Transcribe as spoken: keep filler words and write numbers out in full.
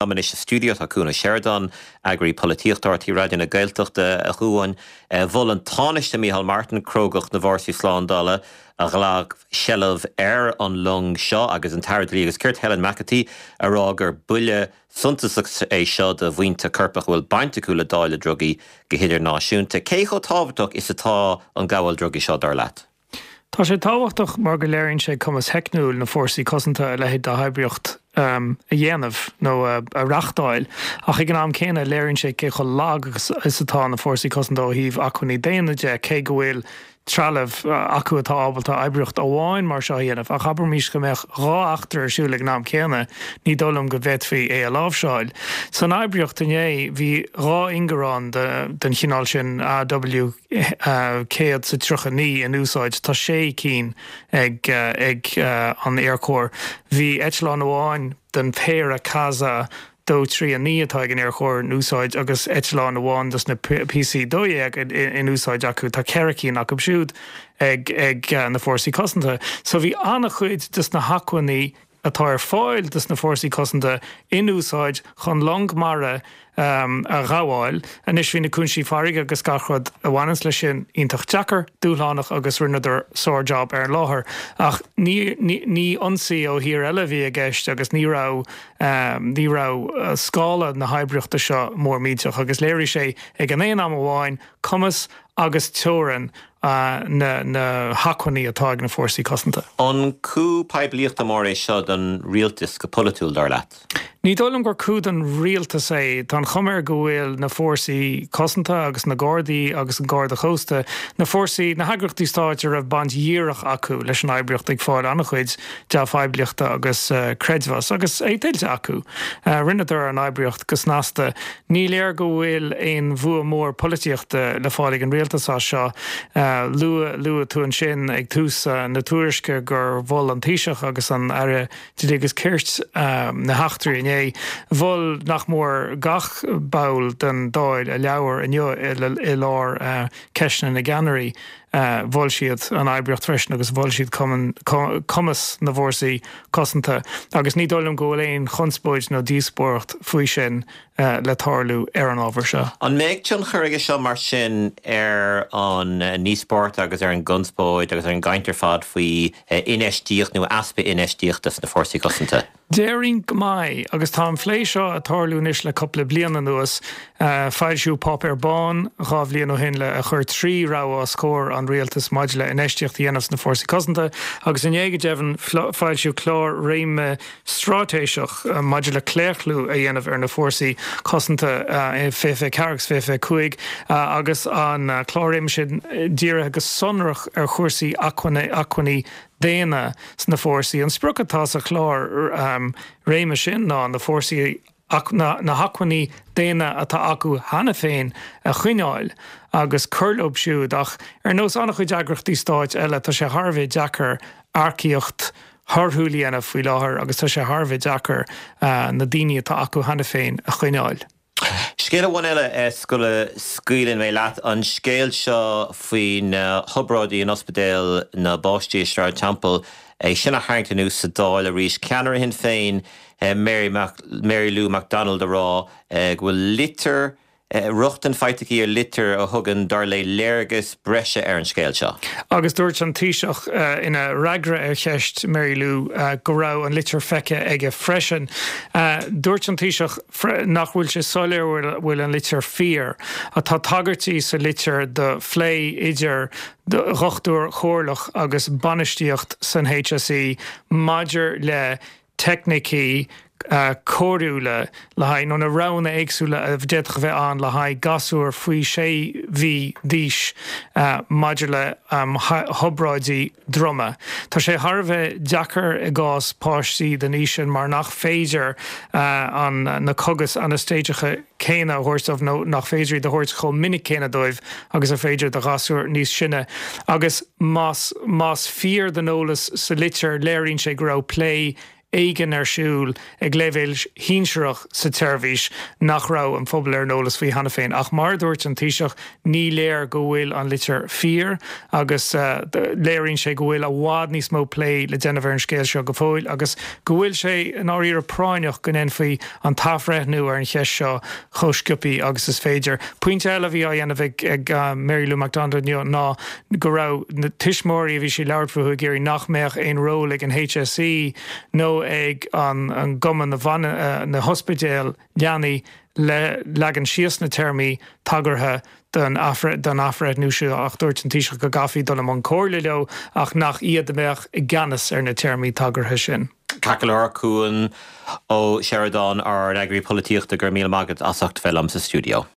Anois sa stiúideo tá Cuan Ó Seireadáin, eagraí polaitíochta R T É Raidió na Gaeltachta. A Chuain, mhol an Tánaiste Micheál Martin crógacht na bhfórsaí slándála a ghlac seilbh ar an long seo agus an tAire Dlí agus Cirt Helen McEntee a rá gur buille suntasach é seo do bhuíonta coirpeacha a bhfuil baint acu le dáileadh drugaí go hidirnáisiúnta. Cé chomh tábhachtach is atá an gabháil drugaí seo dar leat? Tá sé tábhachtach mar go léiríonn sé cumas teicniúil na fórsaí cosanta a leithéid d'oibríocht um, a dhéanamh nó a, a reáchtáil, ach ag an am céanna léiríonn sé cé chomh lag is atá na fórsaí cosanta ó thaobh acmhainní daonna de, cé go bhfuil trealamh acu atá ábalta oibríocht amháin mar seo a dhéanamh, ach abraimis go mbeadh dhá eachtra ar siúl ag an am céanna, ní dóigh liom go bhféadfaí é a láimhseáil. San oibríocht inné bhí dhá ingearán den chineál sin A W céad sa tríocha naoi in úsáid. Tá sé cinn ag ag an Aerchór. Bhí eitleán amháin den péire Casa dó trí a naoi atá ag an Aerchór in úsáid agus eitleán amháin dos na P C dó dhéag in úsáid acu. Tá ceithre cinn acu siúd ag ag na fórsaí cosanta. So bhí an-chuid des na hacmhainní atá ar fáil dos na fórsaí cosanta in úsáid chun long mara um, a ghabháil. Anois bhí na cúinsí farraige agus gach rud a bhaineann leis sin iontach deacair, dúshlánach agus rinneadar sár-job ar an láthair. Ach ní, ní, ní ionsaí ó thír eile bhí i gceist agus ní raibh um, ní raibh uh, scála na hoibríochta seo mór millteach agus léirigh sé ag an aon am amháin cumas agus teorainn uh, na, na hacmhainní atá ag na fórsaí cosanta. An coup poiblíochta mór é seo don rialtas go polaitiúil, dar leat? Ní dóigh liom gur coup don rialtas é. Tá an chuma air go bhfuil na fórsaí cosanta agus na Gardaí agus an Garda Cósta, na fórsaí, na heagraíochtaí stáit a raibh baint dhíreach acu leis an oibríocht, ag fáil an-chuid dea-phoiblíochta agus uh, creidmheas agus é tuillte acu. Uh, Rinneadar an oibríocht go snasta. Ní léir go bhfuil aon bhua mór polaitíochta le fáil ag an rialtas as seo. Uh, luaigh luaigh tú ansin ag tús uh, na tuairisce gur mhol an Taoiseach agus an Aire Dlí agus Cirt uh, na heachtraí inné. Mhol nach mór gach ball den Dáil a labhair inniu i lár uh, ceisteanna na gceannairí. Uh, mhol siad an oibríocht freisin agus mhol siad cumas na bhfórsaí cosanta agus ní dóigh liom go bhfuil aon chonspóid nó díospóireacht faoi sin uh, le tarlú ar an ábhar seo. An mbeidh tionchar aige seo mar sin ar an ndíospóireacht agus ar an gconspóid agus ar an gcaint ar fad faoi infheistíocht nó easpa infheistíochta sna fórsaí cosanta? Déarfainn go mbeidh agus tá an plé seo ag tarlú anois le cúpla bliain anuas. uh, foilsíodh páipéar bán dhá bhliain ó shin le a chur trí rogha os comhair an rialtas maidir le infheistíocht a dhéanamh sna fórsaí cosanta agus inné go deimhin foilsíodh clár réime straitéiseach uh, maidir le claochlú a dhéanamh ar na fórsaí cosanta uh, fiche ceathair fiche cúig uh, agus an uh, clár réime sin dírithe go sonrach ar chúrsaí acmhainní daonna sna fórsaí. An sprioc atá sa chlár um, réime sin ná na fórsaí na, na hacmhainní daonna atá acu cheana féin a choinneáil agus cur leo siúd, ach ar nós an-chuid eagraíochtaí stáit eile tá sé thar a bheith deacair earcaíocht thorthúil a dhéanamh faoi láthair agus tá sé thar a bheith deacair uh, na daoine atá acu cheana féin a choinneáil. Scéal amháin eile sula scaoileann mé leat, an scéal seo faoin hobráidí in ospidéal na bpáistí i Sráid Temple, é sin a tharraingt anuas sa Dáil arís, ceannaire Shinn Féin Mary, Mac, Mary Lou McDonald a rá go bhfuil litir rochtain faighte aici ar litir a thugann dar léi léargas breise ar an scéal seo. Agus dúirt an Taoiseach uh, ina fhreagra ar cheist Mary Lou uh, go raibh an litir feicthe aige freisin. Uh, dúirt an Taoiseach nach bhfuil sé soiléir bhfuil an litir fíor, atá tagairtí sa litir do phlé idir dhochtúir chomhairleach agus bainistíocht san H S E maidir le teicnící uh, cóiriúla le haghaidh nó na roghanna éagsúla a d'fhéadfadh bheith ann le haghaidh gasúr faoi sé mhí d'aois uh, maidir le um, hobráidí droma. Tá sé thar a bheith deacair i gcás páistí den aois sin mar nach féidir uh, an na cogais anaistéiseacha céanna a thabhairt nó nach féidir a thabhairt chomh minic céanna dóibh agus is féidir do ghasúr níos sine. Agus más, más fíor don eolas sa litir, léiríonn sé go raibh plé éigin ar siúl ag leibhéal sinsearach sa tseirbhís nach raibh an phobal ar an eolas faoi cheana féin. Ach mar dúirt an Taoiseach ní léir go bhfuil an litir fíor agus uh, léiríonn sé go bhfuil i bhfad níos mó plé le déanamh ar an scéal seo go fóill agus go bhfuil sé in áiríre práinneach go ndéanfaí an t-athbhreithniú ar an cheist seo chomh sciobtha agus is féidir. Pointe eile bhí á dhéanamh ag, ag uh, Mary Lou McDonald ná go raibh na tuismitheoirí a bhí sí labhairt fúthu ag iarraidh nach mbeadh aon ról ag an HSE nó ag an, an gcumann na, uh, na hospidéal leanaí le leagan síos na téarmaí tagartha don athbhreithniú seo ach dúirt an Taoiseach go gcaithfí dul i mbun comhairle leo ach nach iad a bheadh i gceannas ar na téarmaí tagartha sin. Ceart Cuan Ó Seireadáin ár n-eagraí polaitíochta go raibh míle maith agat as ucht bheith liom sa stiúideo.